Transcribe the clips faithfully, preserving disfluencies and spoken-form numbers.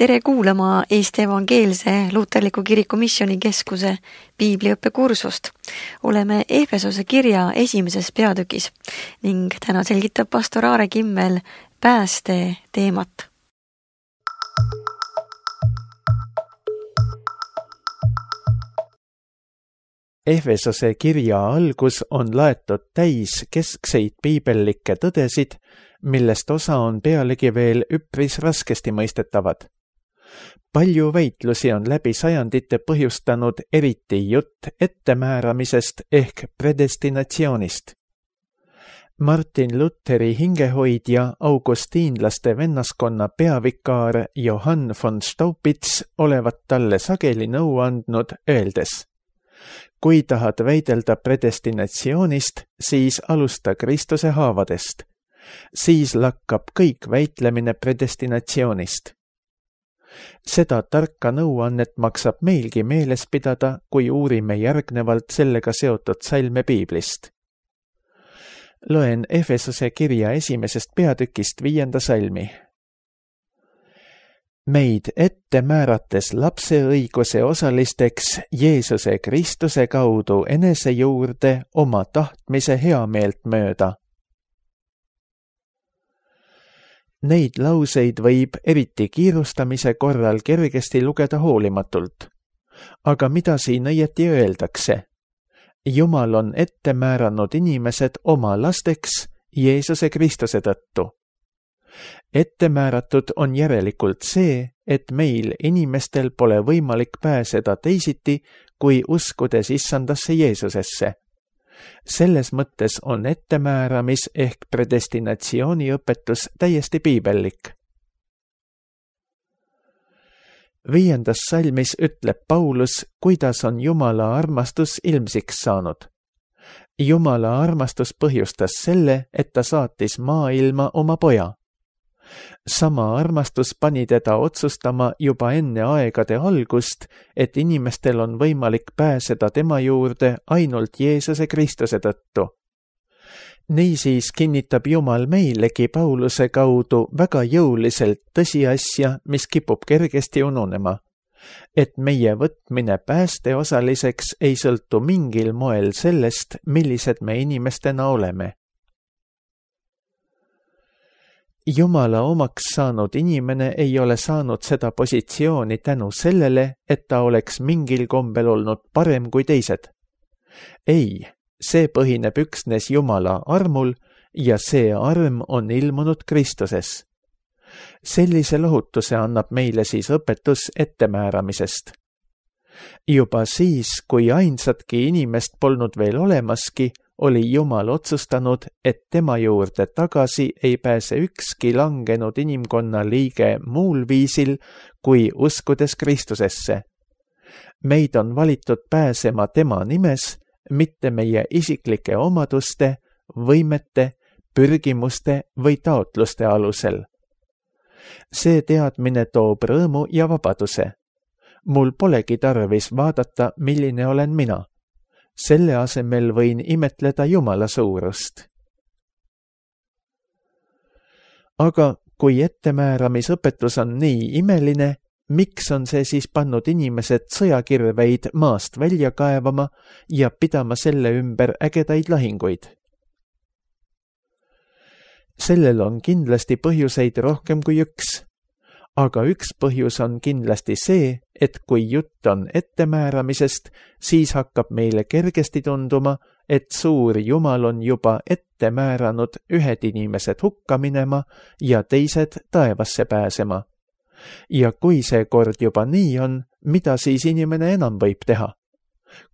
Tere kuulama Eesti Evangeelse Luterliku Kiriku Missioonikeskuse piibliõppekursust. Oleme Efesose kirja esimeses peatükis ning täna selgitab pastor Aare Kimmel pääste teemat. Efesose kirja algus on laetud täis keskseid piibellikke tõdesid, millest osa on pealegi veel üpris raskesti mõistetavad. Palju väitlusi on läbi sajandite põhjustanud eriti jutt ettemääramisest ehk predestinatsioonist. Martin Lutheri hingehoidja augustiinlaste vennaskonna peavikaar Johann von Staupitz olevat talle sageli nõu andnud, öeldes: kui tahad väidelda predestinatsioonist, siis alusta Kristuse haavadest. Siis lakkab kõik väitlemine predestinatsioonist. Seda tarka nõuannet maksab meilgi meeles pidada, kui uurime järgnevalt sellega seotud salme piiblist. Loen Efesose kirja esimesest peatükist viienda salmi. Meid ette määrates lapse õiguse osalisteks Jeesuse Kristuse kaudu enese juurde oma tahtmise heameelt mööda. Neid lauseid võib eriti kiirustamise korral kergesti lugeda hoolimatult. Aga mida siin õieti öeldakse? Jumal on ette määranud inimesed oma lasteks Jeesuse Kristuse tõttu. Ette määratud on järelikult see, et meil inimestel pole võimalik pääseda teisiti, kui uskudes issandasse Jeesusesse. Selles mõttes on ettemääramis ehk predestinatsiooni õpetus täiesti piibellik. Viiendas salmis ütleb Paulus, kuidas on Jumala armastus ilmsiks saanud. Jumala armastus põhjustas selle, et ta saatis maailma oma poja. Sama armastus pani teda otsustama juba enne aegade algust, et inimestel on võimalik pääseda tema juurde ainult Jeesuse Kristuse tõttu. Niisiis kinnitab Jumal meilegi Pauluse kaudu väga jõuliselt tõsiasja, mis kipub kergesti ununema, et meie võtmine päästeosaliseks ei sõltu mingil moel sellest, millised me inimestena oleme. Jumala omaks saanud inimene ei ole saanud seda positsiooni tänu sellele, et ta oleks mingil kombel olnud parem kui teised. Ei, see põhineb üksnes Jumala armul ja see arm on ilmunud Kristuses. Sellise lohutuse annab meile siis õpetus ettemääramisest. Juba siis, kui ainsatki inimest polnud veel olemaski, oli Jumal otsustanud, et tema juurde tagasi ei pääse ükski langenud inimkonna liige muul viisil, kui uskudes Kristusesse. Meid on valitud pääsema tema nimes, mitte meie isiklike omaduste, võimete, pürgimuste või taotluste alusel. See teadmine toob rõõmu ja vabaduse. Mul polegi tarvis vaadata, milline olen mina. Selle asemel võin imetleda Jumala suurust. Aga kui ettemääramisõpetus on nii imeline, miks on see siis pannud inimesed sõjakirveid maast välja kaevama ja pidama selle ümber ägedaid lahinguid? Sellel on kindlasti põhjuseid rohkem kui üks. Aga üks põhjus on kindlasti see, et kui jutt on ettemääramisest, siis hakkab meile kergesti tunduma, et suur Jumal on juba ette määranud ühed inimesed hukka minema ja teised taevasse pääsema. Ja kui see kord juba nii on, mida siis inimene enam võib teha?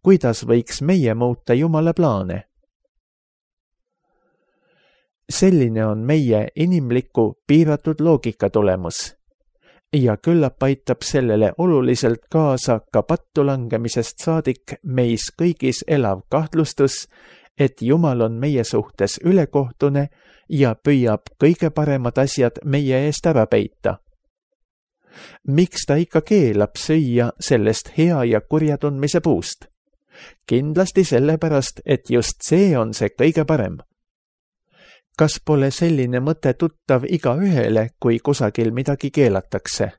Kuidas võiks meie muuta Jumala plaane? Selline on meie inimliku piiratud loogika tulemus. Ja küllap aitab sellele oluliselt kaasa ka pattu langemisest saadik meis kõigis elav kahtlustus, et Jumal on meie suhtes ülekohtune ja püüab kõige paremad asjad meie eest ära peita. Miks ta ikka keelab süüa sellest hea ja kurja tundmise puust? Kindlasti sellepärast, et just see on see kõige parem. Kas pole selline mõte tuttav igaühele, kui kusagil midagi keelatakse?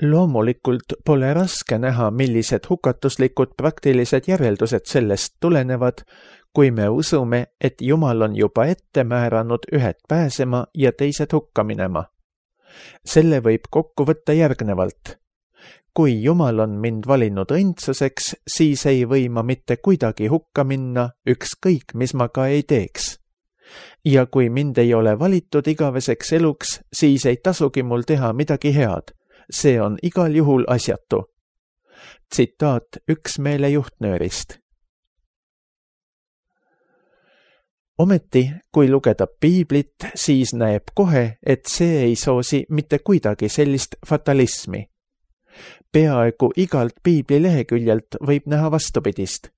loomulikult pole raske näha, millised hukatuslikud praktilised järeldused sellest tulenevad, kui me usume, et Jumal on juba ette määranud ühed pääsema ja teised hukka minema. Selle võib kokku võtta järgnevalt. Kui Jumal on mind valinud õndsuseks, siis ei või ma mitte kuidagi hukka minna, ükskõik mis ma ka ei teeks. Ja kui mind ei ole valitud igaveseks eluks, siis ei tasugi mul teha midagi head. See on igal juhul asjatu. Tsitaat Üksmeele juhtnöörist. Ometi, kui lugeda piiblit, siis näeb kohe, et see ei soosi mitte kuidagi sellist fatalismi. Peaaegu igalt piibli leheküljelt võib näha vastupidist.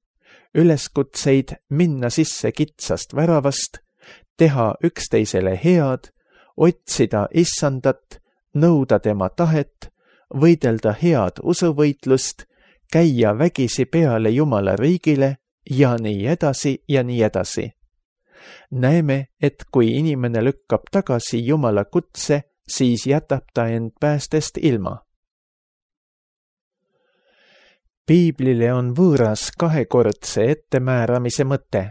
Üleskutseid minna sisse kitsast väravast, teha üksteisele head, otsida issandat, nõuda tema tahet, võidelda head usuvõitlust, käia vägisi peale Jumala riigile ja nii edasi ja nii edasi. Näeme, et kui inimene lükkab tagasi Jumala kutse, siis jätab ta end päästest ilma. Piiblile on võõras kahekordse ettemääramise mõte,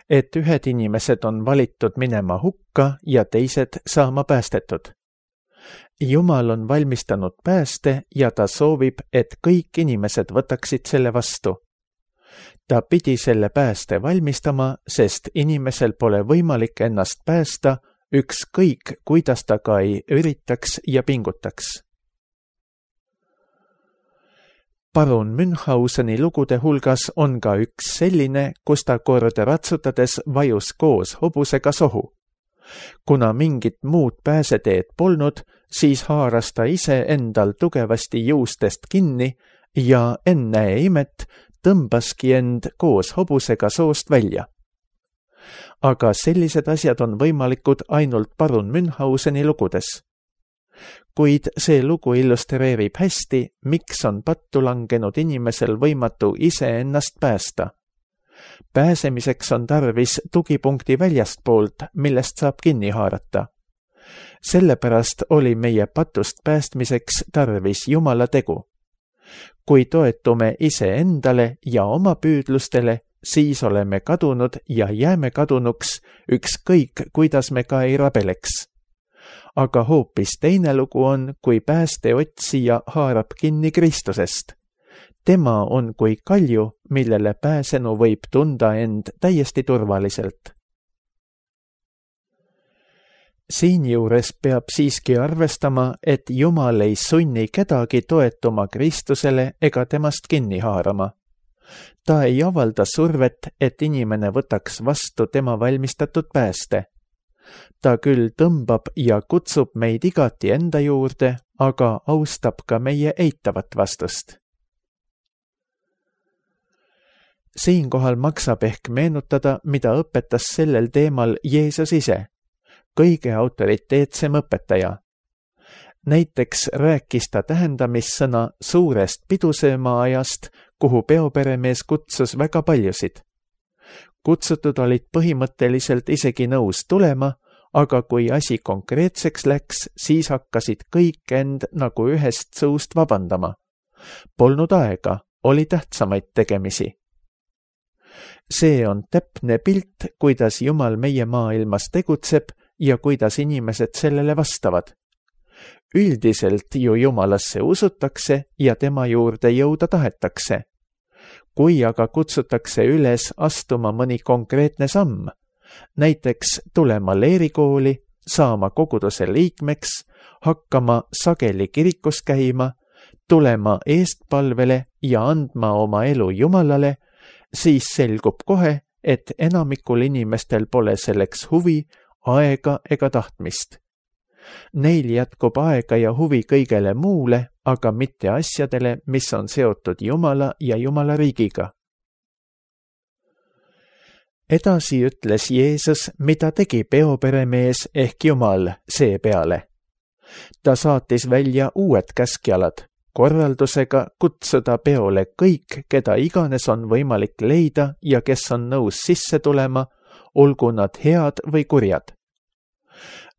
et ühed inimesed on valitud minema hukka ja teised saama päästetud. Jumal on valmistanud pääste ja ta soovib, et kõik inimesed võtaksid selle vastu. Ta pidi selle pääste valmistama, sest inimesel pole võimalik ennast päästa, ükskõik kuidas ta ka ei üritaks ja pingutaks. Parun Münchhauseni lugude hulgas on ka üks selline, kus ta kord ratsutades vajus koos hobusega sohu. Kuna mingit muud pääseteed polnud, siis haaras ta ise endal tugevasti juustest kinni ja ennäe imet tõmbaski end koos hobusega soost välja. Aga sellised asjad on võimalikud ainult parun Münchhauseni lugudes. Kuid see lugu illustreerib hästi, miks on pattu langenud inimesel võimatu ise ennast päästa. Pääsemiseks on tarvis tugipunkti väljastpoolt, millest saab kinni haarata. Sellepärast oli meie patust päästmiseks tarvis Jumala tegu. Kui toetume ise endale ja oma püüdlustele, siis oleme kadunud ja jääme kadunuks, ükskõik kuidas me ka ei rabeleks. Aga hoopis teine lugu on, kui pääste otsija haarab kinni Kristusest. Tema on kui kalju, millele pääsenu võib tunda end täiesti turvaliselt. Siinjuures peab siiski arvestama, et Jumal ei sunni kedagi toetuma Kristusele ega temast kinni haarama. Ta ei avalda survet, et inimene võtaks vastu tema valmistatud pääste. Ta küll tõmbab ja kutsub meid igati enda juurde, aga austab ka meie eitavat vastust. Siinkohal maksab ehk meenutada, mida õpetas sellel teemal Jeesus ise, kõige autoriteetsem õpetaja. Näiteks rääkis ta tähendamissõna suurest pidusööma ajast, kuhu peoperemees kutsus väga paljusid. Kutsutud olid põhimõtteliselt isegi nõus tulema, aga kui asi konkreetseks läks, siis hakkasid kõik end nagu ühest suust vabandama. Polnud aega, oli tähtsamaid tegemisi. See on täpne pilt, kuidas Jumal meie maailmas tegutseb ja kuidas inimesed sellele vastavad. Üldiselt ju Jumalasse usutakse ja tema juurde jõuda tahetakse. Kui aga kutsutakse üles astuma mõni konkreetne samm, näiteks tulema leerikooli, saama koguduse liikmeks, hakkama sageli kirikus käima, tulema eestpalvele ja andma oma elu Jumalale, siis selgub kohe, et enamikul inimestel pole selleks huvi, aega ega tahtmist. Neil jätkub aega ja huvi kõigele muule, aga mitte asjadele, mis on seotud Jumala ja Jumala riigiga. Edasi ütles Jeesus, mida tegi peoperemees ehk Jumal seepeale. Ta saatis välja uued käskjalad, korraldusega kutsuda peole kõik, keda iganes on võimalik leida ja kes on nõus sisse tulema, olgu nad head või kurjad.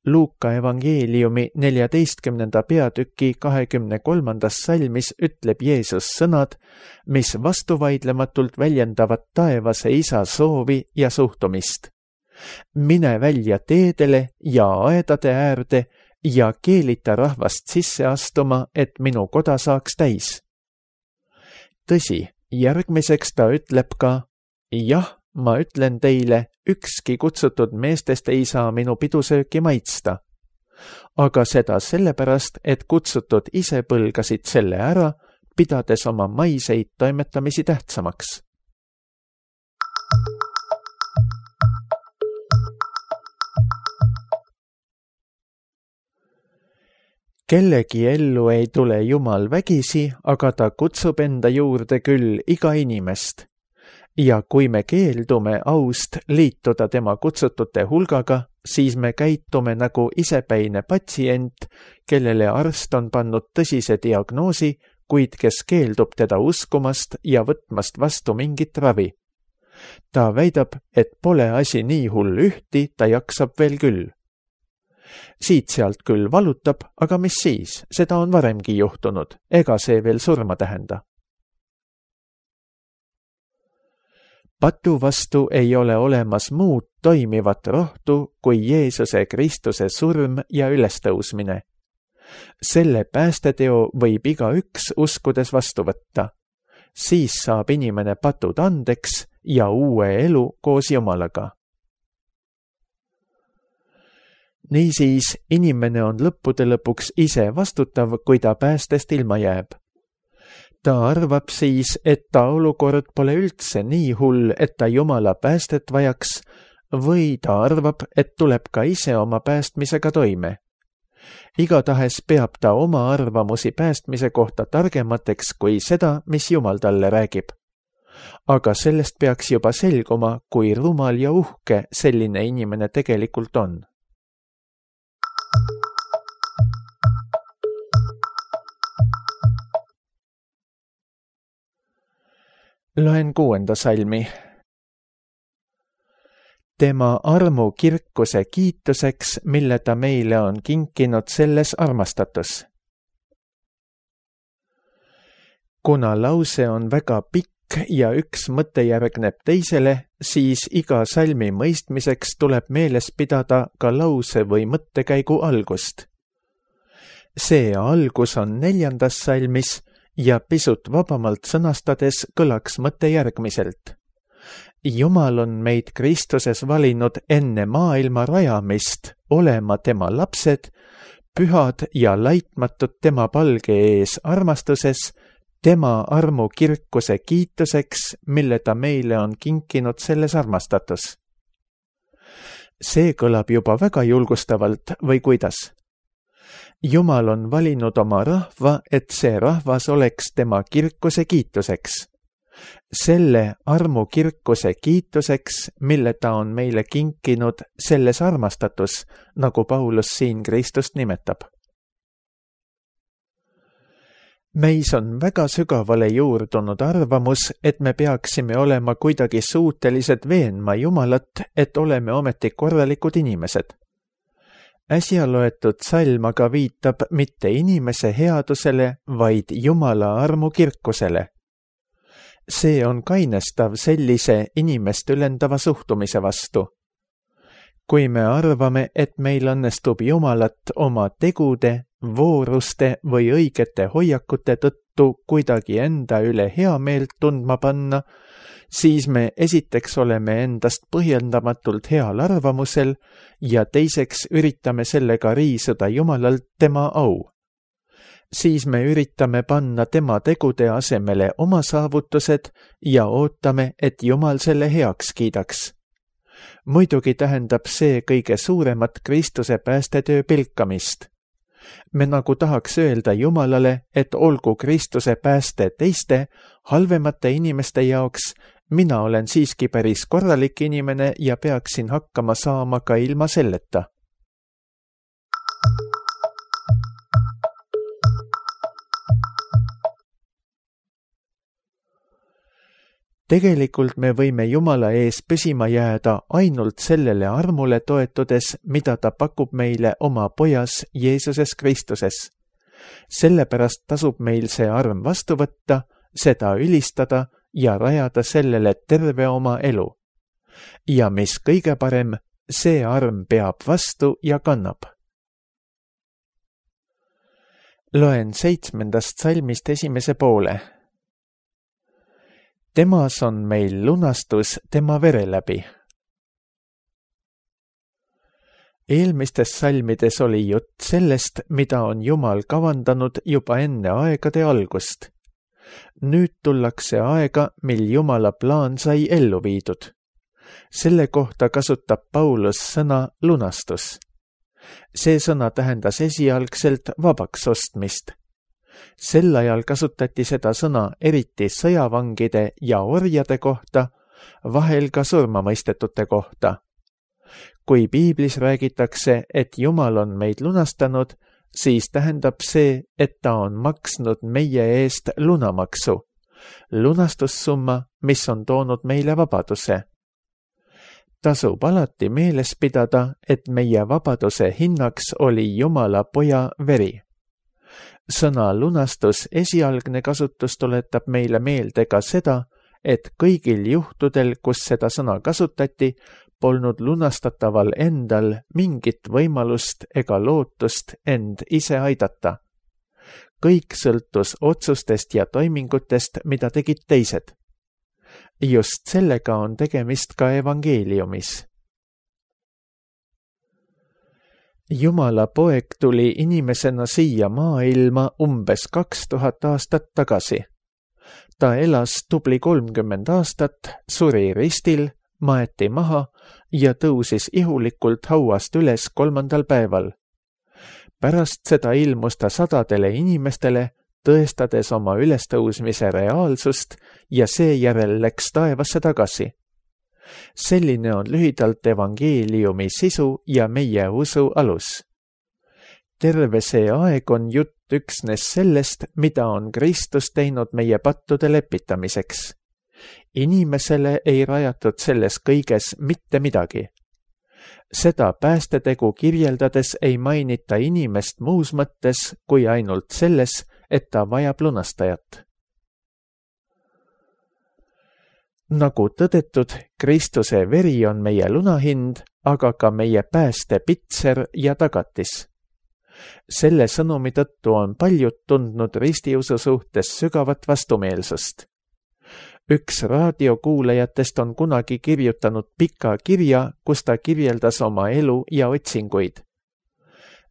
Luuka evangeeliumi neljateistkümnenda peatüki kahekümne kolmandas salmis ütleb Jeesus sõnad, mis vastuvaidlematult väljendavad taevase isa soovi ja suhtumist. Mine välja teedele ja aedade äärde ja keelita rahvast sisse astuma, et minu koda saaks täis. Tõsi, järgmiseks ta ütleb ka, jah, ma ütlen teile, ükski kutsutud meestest ei saa minu pidusööki maitsta. Aga seda sellepärast, et kutsutud ise põlgasid selle ära, pidades oma maiseid toimetamisi tähtsamaks. Kellegi ellu ei tule Jumal vägisi, aga ta kutsub enda juurde küll iga inimest. Ja kui me keeldume aust liituda tema kutsutute hulgaga, siis me käitume nagu isepäine patsient, kellele arst on pannud tõsise diagnoosi, kuid kes keeldub teda uskumast ja võtmast vastu mingit ravi. Ta väidab, et pole asi nii hull ühti, ta jaksab veel küll. Siit-sealt küll valutab, aga mis siis, seda on varemgi juhtunud, ega see veel surma tähenda. Patu vastu ei ole olemas muud toimivat rohtu kui Jeesuse Kristuse surm ja ülestõusmine. Selle päästeteo võib igaüks uskudes vastu võtta. Siis saab inimene patud andeks ja uue elu koos Jumalaga. Niisiis, inimene on lõppude lõpuks ise vastutav, kui ta päästest ilma jääb. Ta arvab siis, et ta olukord pole üldse nii hull, et ta Jumala päästet vajaks, või ta arvab, et tuleb ka ise oma päästmisega toime. Igatahes peab ta oma arvamusi päästmise kohta targemateks kui seda, mis Jumal talle räägib. Aga sellest peaks juba selguma, kui rumal ja uhke selline inimene tegelikult on. Loen kuuenda salmi. Tema armu kirkuse kiituseks, mille ta meile on kinkinud selles armastatus. Kuna lause on väga pikk ja üks mõte järgneb teisele, siis iga salmi mõistmiseks tuleb meeles pidada ka lause või mõttekäigu algust. See algus on neljandas salmis ja pisut vabamalt sõnastades kõlaks mõte järgmiselt. Jumal on meid Kristuses valinud enne maailma rajamist olema tema lapsed, pühad ja laitmatud tema palge ees armastuses, tema armu kirkuse kiituseks, mille ta meile on kinkinud selles armastatus. See kõlab juba väga julgustavalt või kuidas? Jumal on valinud oma rahva, et see rahvas oleks tema kirkuse kiituseks. Selle armu kirkuse kiituseks, mille ta on meile kinkinud selles armastatus, nagu Paulus siin Kristust nimetab. Meis on väga sügavale juurdunud arvamus, et me peaksime olema kuidagi suutelised veenma Jumalat, et oleme ometi korralikud inimesed. Äsja loetud salm aga viitab mitte inimese headusele, vaid Jumala armu kirkusele. See on kainestav sellise inimest ülendava suhtumise vastu. Kui me arvame, et meil õnnestub Jumalat oma tegude, vooruste või õigete hoiakute tõttu kuidagi enda üle heameelt tundma panna, siis me esiteks oleme endast põhjendamatult heal arvamusel ja teiseks üritame sellega riisuda Jumalalt tema au. Siis me üritame panna tema tegude asemele oma saavutused ja ootame, et Jumal selle heaks kiidaks. Muidugi tähendab see kõige suuremat Kristuse päästetöö pilkamist. Me nagu tahaks öelda Jumalale, et olgu Kristuse pääste teiste, halvemate inimeste jaoks, mina olen siiski päris korralik inimene ja peaksin hakkama saama ka ilma selleta. tegelikult me võime Jumala ees püsima jääda ainult sellele armule toetudes, mida ta pakub meile oma pojas Jeesuses Kristuses. Sellepärast tasub meil see arm vastu võtta, seda ülistada ja rajada sellele terve oma elu. Ja mis kõige parem, see arm peab vastu ja kannab. Loen seitsmendast salmist esimese poole. Temas on meil lunastus tema vere läbi. Eelmistes salmides oli jutt sellest, mida on Jumal kavandanud juba enne aegade algust. Nüüd tullakse aega, mil Jumala plaan sai ellu viidud. Selle kohta kasutab Paulus sõna lunastus. See sõna tähendas esialgselt vabaks ostmist. Sel ajal kasutati seda sõna eriti sõjavangide ja orjade kohta, vahel ka surmamõistetute kohta. Kui piiblis räägitakse, et Jumal on meid lunastanud, siis tähendab see, et ta on maksnud meie eest lunamaksu, lunastussumma, mis on toonud meile vabaduse. Tasub alati meeles pidada, et meie vabaduse hinnaks oli Jumala poja veri. Sõna lunastus esialgne kasutus tuletab meile meelde ka seda, et kõigil juhtudel, kus seda sõna kasutati, polnud lunastataval endal mingit võimalust ega lootust end ise aidata. Kõik sõltus otsustest ja toimingutest, mida tegid teised. Just sellega on tegemist ka evangeeliumis. Jumala poeg tuli inimesena siia maailma umbes kaks tuhat aastat tagasi. Ta elas tubli kolmkümmend aastat, suri ristil, maeti maha ja tõusis ihulikult hauast üles kolmandal päeval. Pärast seda ilmus ta sadadele inimestele, tõestades oma ülestõusmise reaalsust ja seejärel läks taevasse tagasi. Selline on lühidalt evangeeliumi sisu ja meie usu alus. Terve see aeg on jutt üksnes sellest, mida on Kristus teinud meie pattude lepitamiseks. Inimesele ei rajatud selles kõiges mitte midagi. Seda päästetegu kirjeldades ei mainita inimest muus mõttes kui ainult selles, et ta vajab lunastajat. Nagu tõdetud, Kristuse veri on meie lunahind, aga ka meie pääste pitser ja tagatis. Selle sõnumi tõttu on paljud tundnud ristiusu suhtes sügavat vastumeelsust. Üks raadiokuulajatest on kunagi kirjutanud pika kirja, kus ta kirjeldas oma elu ja otsinguid.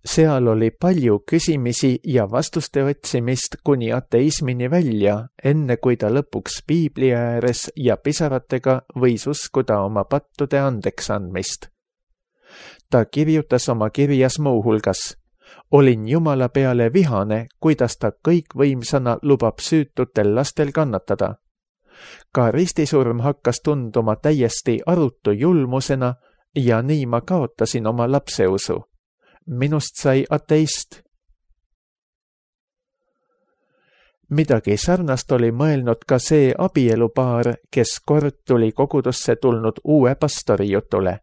Seal oli palju küsimisi ja vastuste otsimist kuni ateismini välja, enne kui ta lõpuks piibli ääres ja pisaratega võis uskuda oma pattude andeks andmist. Ta kirjutas oma kirjas muu hulgas: olin Jumala peale vihane, kuidas ta kõikvõimsana lubab süütutel lastel kannatada. Ka ristisurm hakkas tunduma täiesti arutu julmusena ja nii ma kaotasin oma lapseusu. Minust sai ateist. Midagi sarnast oli mõelnud ka see abielupaar, kes kord tuli kogudusse tulnud uue pastori jutule.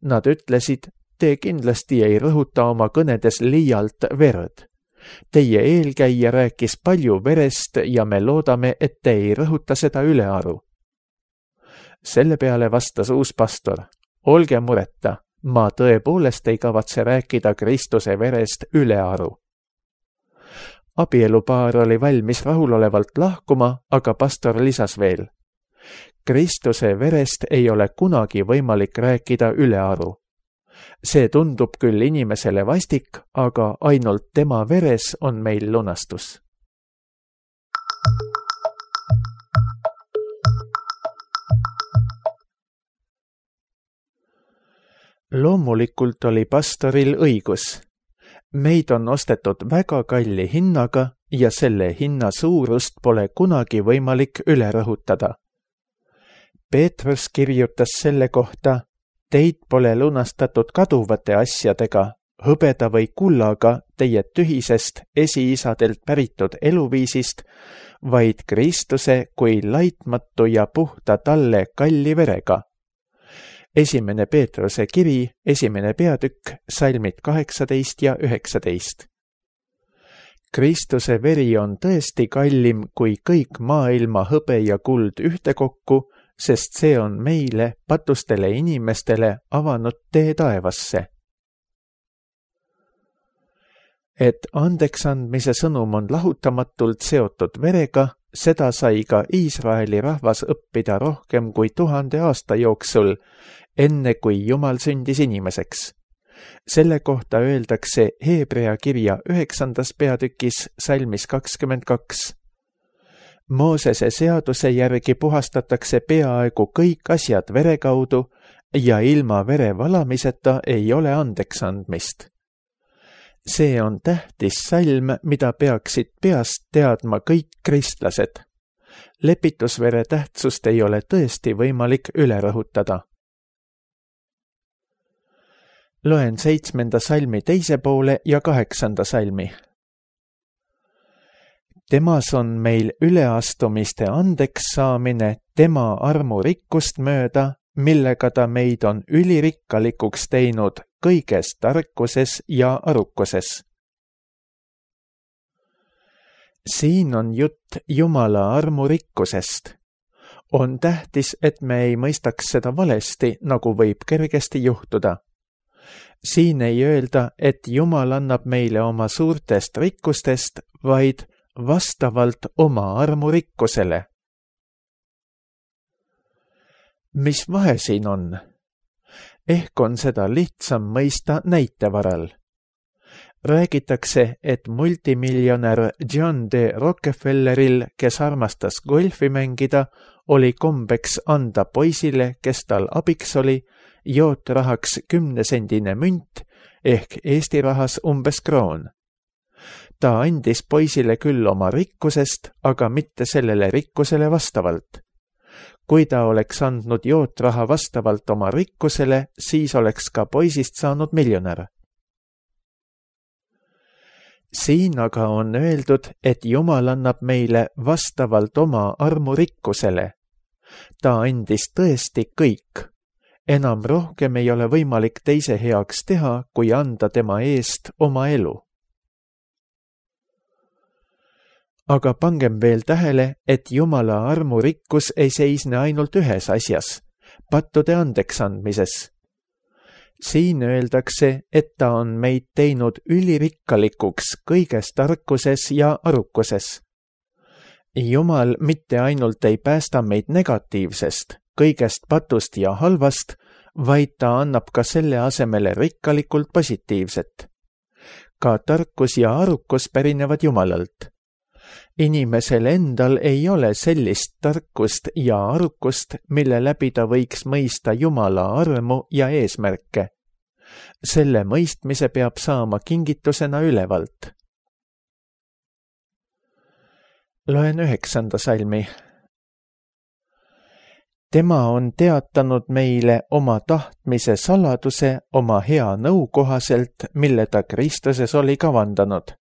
Nad ütlesid: te kindlasti ei rõhuta oma kõnedes liialt verd. Teie eelkäija rääkis palju verest ja me loodame, et te ei rõhuta seda ülearu. Selle peale vastas uus pastor: olge mureta, ma tõepoolest ei kavatse rääkida Kristuse verest ülearu. Abielupaar oli valmis rahulolevalt lahkuma, aga pastor lisas veel: Kristuse verest ei ole kunagi võimalik rääkida ülearu. See tundub küll inimesele vastik, aga ainult tema veres on meil lunastus. Loomulikult oli pastoril õigus. Meid on ostetud väga kalli hinnaga ja selle hinna suurust pole kunagi võimalik üle rõhutada. Peetrus kirjutas selle kohta: teid pole lunastatud kaduvate asjadega, hõbeda või kullaga teie tühisest esiisadelt päritud eluviisist, vaid Kristuse kui laitmatu ja puhta talle kalli verega. Esimene Peetruse kiri, esimene peatükk, salmid kaheksateist ja üheksateist. Kristuse veri on tõesti kallim kui kõik maailma hõbe ja kuld ühtekokku, sest see on meile, patustele inimestele, avanud tee taevasse. Et andeksandmise sõnum on lahutamatult seotud verega, seda sai ka Iisraeli rahvas õppida rohkem kui tuhande aasta jooksul, enne kui Jumal sündis inimeseks. Selle kohta öeldakse Hebrea kirja üheksandas peatükis salmis kakskümmend kaks. Moosese seaduse järgi puhastatakse peaaegu kõik asjad vere kaudu ja ilma vere valamiseta ei ole andeksandmist. See on tähtis salm, mida peaksid peast teadma kõik kristlased. Lepitusvere tähtsust ei ole tõesti võimalik üle rõhutada. Loen seitsmenda salmi teise poole ja kaheksanda salmi. Temas on meil üleastumiste andeks saamine tema armurikkust mööda, millega ta meid on ülirikkalikuks teinud kõiges tarkuses ja arukuses. Siin on jutt Jumala armurikkusest. On tähtis, et me ei mõistaks seda valesti, nagu võib kergesti juhtuda. Siin ei öelda, et Jumal annab meile oma suurtest rikkustest, vaid vastavalt oma armurikkusele. Mis vahe siin on? Ehk on seda lihtsam mõista näite varal. Räägitakse, et multimiljonär John D. Rockefelleril, kes armastas golfi mängida, oli kombeks anda poisile, kes tal abiks oli, jootrahaks kümnesendine münt ehk Eesti rahas umbes kroon. Ta andis poisile küll oma rikkusest, aga mitte sellele rikkusele vastavalt. Kui ta oleks andnud jootraha vastavalt oma rikkusele, siis oleks ka poisist saanud miljonär. Siin aga on öeldud, et Jumal annab meile vastavalt oma armurikkusele. Ta andis tõesti kõik. Enam rohkem ei ole võimalik teise heaks teha, kui anda tema eest oma elu. Aga pangem veel tähele, et Jumala armurikkus ei seisne ainult ühes asjas, pattude andeksandmises. Siin öeldakse, et ta on meid teinud ülirikkalikuks kõiges tarkuses ja arukuses. Jumal mitte ainult ei päästa meid negatiivsest, kõigest patust ja halvast, vaid ta annab ka selle asemele rikkalikult positiivset. Ka tarkus ja arukus pärinevad Jumalalt. Inimesel endal ei ole sellist tarkust ja arukust, mille läbi ta võiks mõista Jumala armu ja eesmärke. Selle mõistmise peab saama kingitusena ülevalt. Loen üheksanda salmi. Tema on teatanud meile oma tahtmise saladuse oma hea nõu kohaselt, mille ta Kristuses oli kavandanud.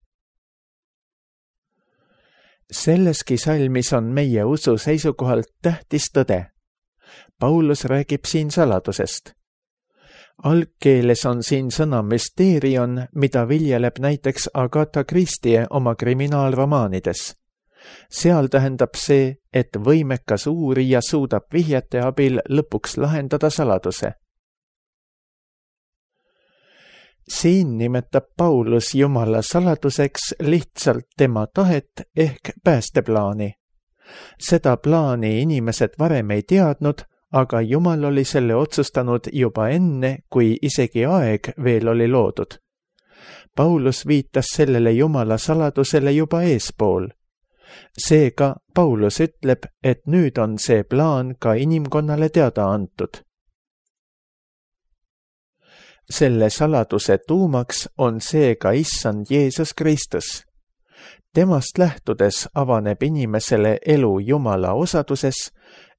Selleski salmis on meie usu seisukohalt tähtis tõde. Paulus räägib siin saladusest. Algkeeles on siin sõna müsteerion, mida viljeleb näiteks Agatha Christie oma kriminaalromaanides. Seal tähendab see, et võimekas uurija suudab vihjete abil lõpuks lahendada saladuse. Siin nimetab Paulus Jumala saladuseks lihtsalt tema tahet ehk päästeplaani. Seda plaani inimesed varem ei teadnud, aga Jumal oli selle otsustanud juba enne, kui isegi aeg veel oli loodud. Paulus viitas sellele Jumala saladusele juba eespool. Seega Paulus ütleb, et nüüd on see plaan ka inimkonnale teada antud. Selle saladuse tuumaks on seega issand Jeesus Kristus. Temast lähtudes avaneb inimesele elu Jumala osaduses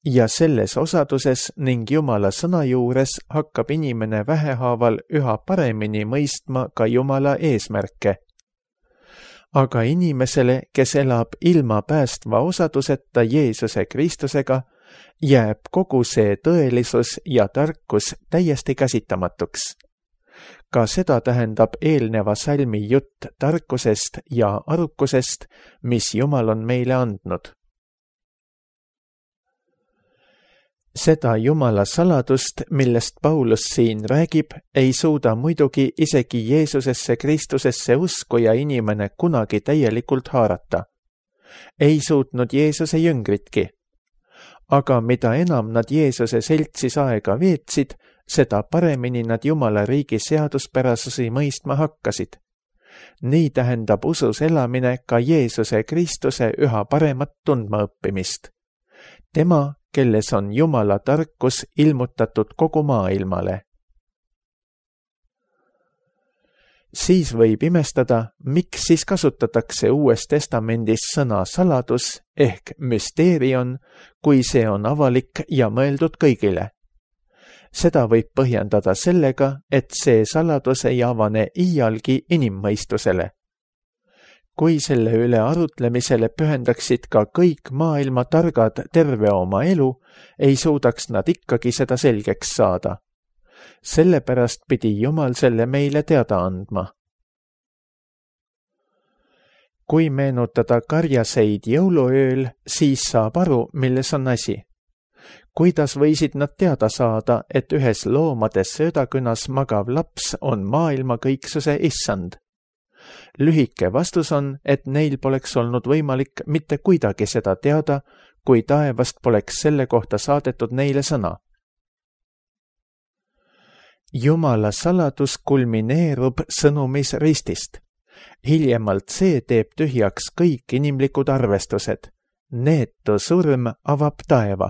ja selles osaduses ning Jumala sõna juures hakkab inimene vähehaaval üha paremini mõistma ka Jumala eesmärke. Aga inimesele, kes elab ilma päästva osaduseta Jeesuse Kristusega, jääb kogu see tõelisus ja tarkus täiesti käsitamatuks. Ka seda tähendab eelneva salmi jutt tarkusest ja arukusest, mis Jumal on meile andnud. Seda Jumala saladust, millest Paulus siin räägib, ei suuda muidugi isegi Jeesusesse Kristusesse uskuja inimene kunagi täielikult haarata. Ei suutnud Jeesuse jüngritki. Aga mida enam nad Jeesuse seltsis aega veetsid, seda paremini nad Jumala riigi seaduspärasusi mõistma hakkasid. Nii tähendab usus elamine ka Jeesuse Kristuse üha paremat tundma õppimist. Tema, kelles on Jumala tarkus ilmutatud kogu maailmale. Siis võib imestada, miks siis kasutatakse Uues Testamendis sõna saladus ehk müsteerion, kui see on avalik ja mõeldud kõigile. Seda võib põhjendada sellega, et see saladus ei avane iialgi inimmõistusele. Kui selle üle arutlemisele pühendaksid ka kõik maailma targad terve oma elu, ei suudaks nad ikkagi seda selgeks saada. Sellepärast pidi Jumal selle meile teada andma. Kui meenutada karjaseid jõuluööl, siis saab aru, milles on asi. Kuidas võisid nad teada saada, et ühes loomade söödakünas magav laps on maailma kõiksuse issand? Lühike vastus on, et neil poleks olnud võimalik mitte kuidagi seda teada, kui taevast poleks selle kohta saadetud neile sõna. Jumala saladus kulmineerub sõnumis ristist. Hiljemalt see teeb tühjaks kõik inimlikud arvestused. Neetu surm avab taeva.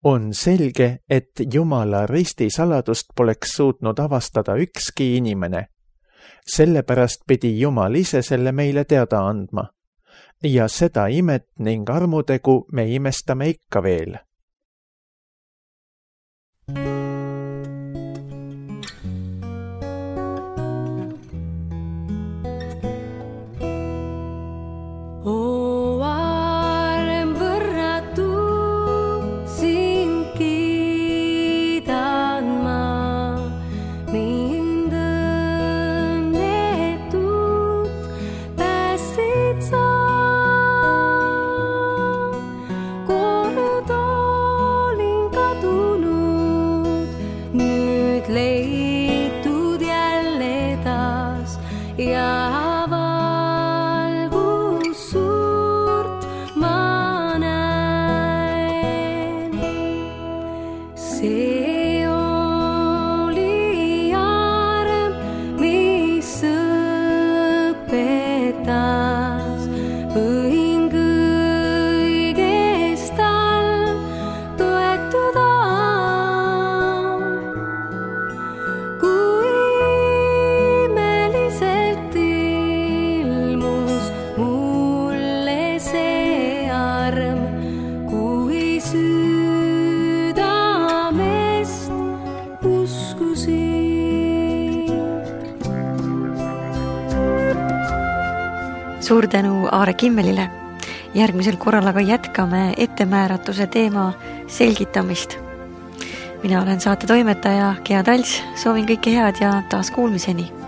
On selge, et Jumala risti saladust poleks suutnud avastada ükski inimene. Sellepärast pidi Jumal ise selle meile teada andma. Ja seda imet ning armutegu me imestame ikka veel. Suur tänu Aare Kimmelile. Järgmisel korral aga jätkame ettemääratuse teema selgitamist. Mina olen saate toimetaja Gea Talts, soovin kõike head ja taas kuulmiseni.